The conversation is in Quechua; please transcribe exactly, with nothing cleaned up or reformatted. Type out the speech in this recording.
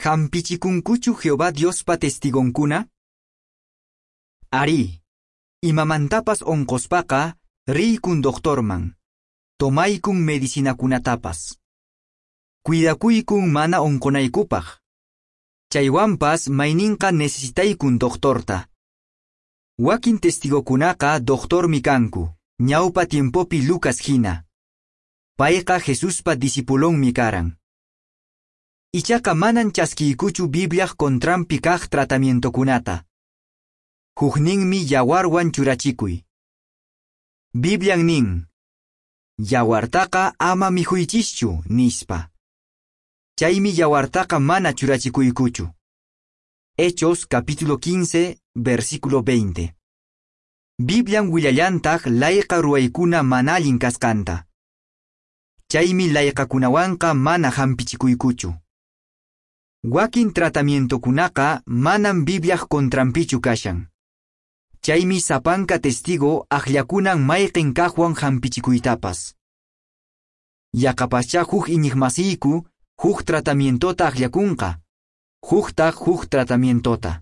Hampichikunkuchu Jehová Diospa testigonkuna? Arí, imamantapas onqospaqa riykun doctorman, tomaykun medicinakunatapas. Cuidakuykun mana onqonaykupaq. Chaywanpas mayninqa necesitaykun doctorta. Wakin testigokunaqa doctormi kanku, ñawpa tiempopi Lucas hina. Payqa Jesuspa discipulonmi karan. Ichaqa manan chaskiykuchu Bibliaq contranpi kaq tratamientokunata. Hukninmi yawarwan churachikuy. Biblian nin, yawartaqa ama mikhuychischu, nispa. Chaymi yawartaqa mana churachikuykuchu. Hechos capítulo quince, versículo veinte. Biblian willallantaq layqa ruwaykuna mana allin kasqanta. Chaymi layqakunawanqa mana hampichikuykuchu. Wakin tratamientokunaqa manam Bibliaq contranpichu kashan. Chaymi sapanka testigo akllakunan mayqin kaqwan hampichikuytapas. Yaqapaschá huk iñiqmasiyku huk tratamientota akllakunqa, huktaq huk tratamientota.